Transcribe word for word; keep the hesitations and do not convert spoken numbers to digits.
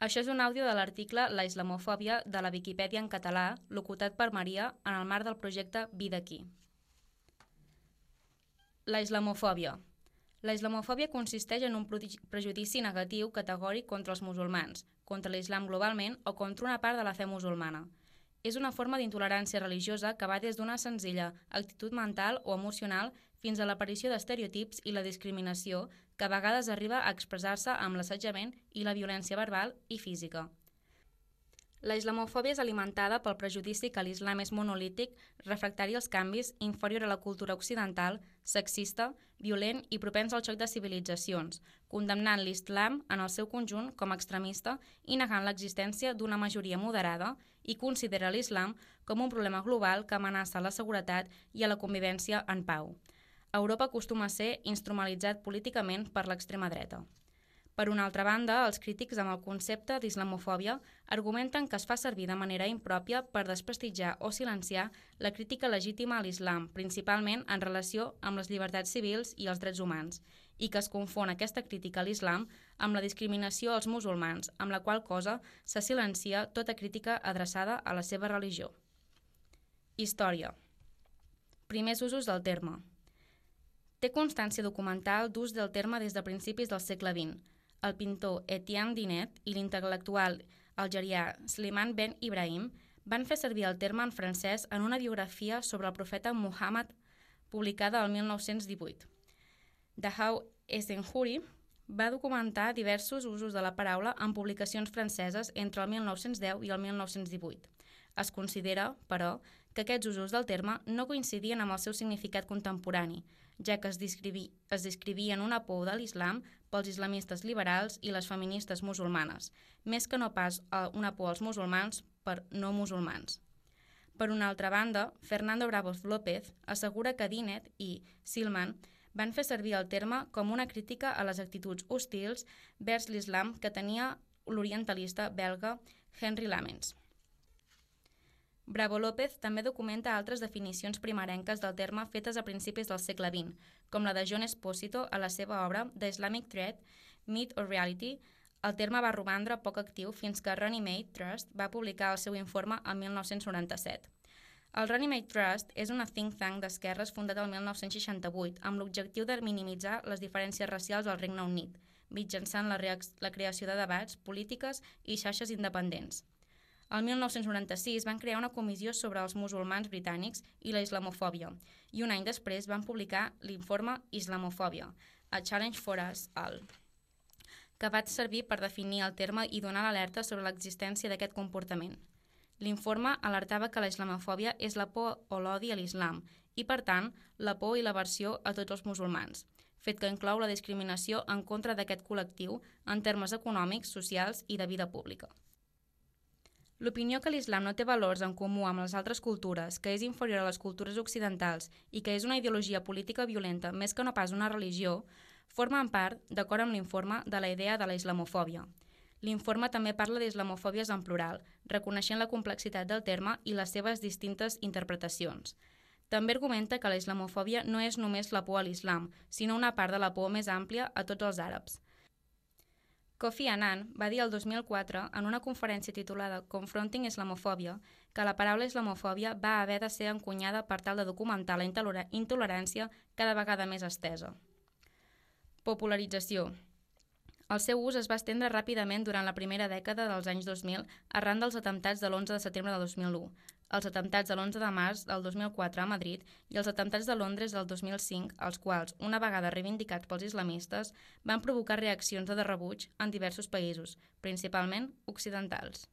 Això és un àudio de l'article La islamofòbia de la Viquipèdia en català, locutat per Maria en el marc del projecte Vida aquí. La islamofòbia. La islamofòbia consisteix en un prejudici negatiu categòric contra els musulmans, contra l'islam globalment o contra una part de la fe musulmana. És una forma d'intolerància religiosa que va des d'una senzilla actitud mental o emocional fins a l'aparició d'estereotips i la discriminació que a vegades arriba a expressar-se amb l'assetjament i la violència verbal i física. La islamofòbia és alimentada pel prejudici que l'islam és monolític, refractari als canvis, inferior a la cultura occidental, sexista, violent i propens al xoc de civilitzacions, condemnant l'islam en el seu conjunt com a extremista i negant l'existència d'una majoria moderada i considera l'islam com un problema global que amenaça la seguretat i a la convivència en pau. Europa acostuma a ser instrumentalitzat políticament per l'extrema dreta. Per una altra banda, els crítics amb el concepte d'islamofòbia argumenten que es fa servir de manera impròpia per desprestigiar o silenciar la crítica legítima a l'islam, principalment en relació amb les llibertats civils i els drets humans, i que es confon aquesta crítica a l'islam amb la discriminació als musulmans, amb la qual cosa se silencia tota crítica adreçada a la seva religió. Història. Primers usos del terme. Té constància documental d'ús del terme des de principis del segle vint. El pintor Etienne Dinet i l'intel·lectual algerià Slimane Ben Ibrahim van fer servir el terme en francès en una biografia sobre el profeta Muhammad publicada el mil nou-cents divuit. Dahou Essenhouri va documentar diversos usos de la paraula en publicacions franceses entre el mil nou-cents deu i el mil nou-cents divuit. Es considera, però, que aquests usos del terme no coincidien amb el seu significat contemporani, ja que es, descrivi, es descrivien una por de l'islam pels islamistes liberals i les feministes musulmanes, més que no pas una por als musulmans per no musulmans. Per una altra banda, Fernando Bravos López assegura que Dinet i Slimane van fer servir el terme com una crítica a les actituds hostils vers l'islam que tenia l'orientalista belga Henri Lamens. Bravo López també documenta altres definicions primerenques del terme fetes a principis del segle vint, com la de John Esposito a la seva obra The Islamic Threat, Myth or Reality. El terme va romandre poc actiu fins que Runnymede Trust va publicar el seu informe el mil nou-cents noranta-set. El Runnymede Trust és una think tank d'esquerres fundat el mil nou-cents seixanta-vuit amb l'objectiu de minimitzar les diferències racials al Regne Unit, mitjançant la, la creació de debats, polítiques i xarxes independents. El mil nou-cents noranta-sis van crear una comissió sobre els musulmans britànics i la islamofòbia i un any després van publicar l'informe Islamofòbia, A Challenge for Us All, que va servir per definir el terme i donar l'alerta sobre l'existència d'aquest comportament. L'informe alertava que la islamofòbia és la por o l'odi a l'islam i, per tant, la por i l'aversió a tots els musulmans, fet que inclou la discriminació en contra d'aquest col·lectiu en termes econòmics, socials i de vida pública. L'opinió que l'islam no té valors en comú amb les altres cultures, que és inferior a les cultures occidentals i que és una ideologia política violenta més que no pas una religió, formen part, d'acord amb l'informe, de la idea de la islamofòbia. L'informe també parla d'islamofòbies en plural, reconeixent la complexitat del terme i les seves distintes interpretacions. També argumenta que la islamofòbia no és només la por a l'islam, sinó una part de la por més àmplia a tots els àrabs. Kofi Annan va dir el dos mil quatre en una conferència titulada Confronting Islamofòbia que la paraula islamofòbia va haver de ser encunyada per tal de documentar la intolerància cada vegada més estesa. Popularització. El seu ús es va estendre ràpidament durant la primera dècada dels anys dos mil arran dels atemptats de l'onze de setembre de dos mil u, els atemptats de l'onze de març del dos mil quatre a Madrid i els atemptats de Londres del dos mil cinc, els quals, una vegada reivindicats pels islamistes, van provocar reaccions de rebuig en diversos països, principalment occidentals.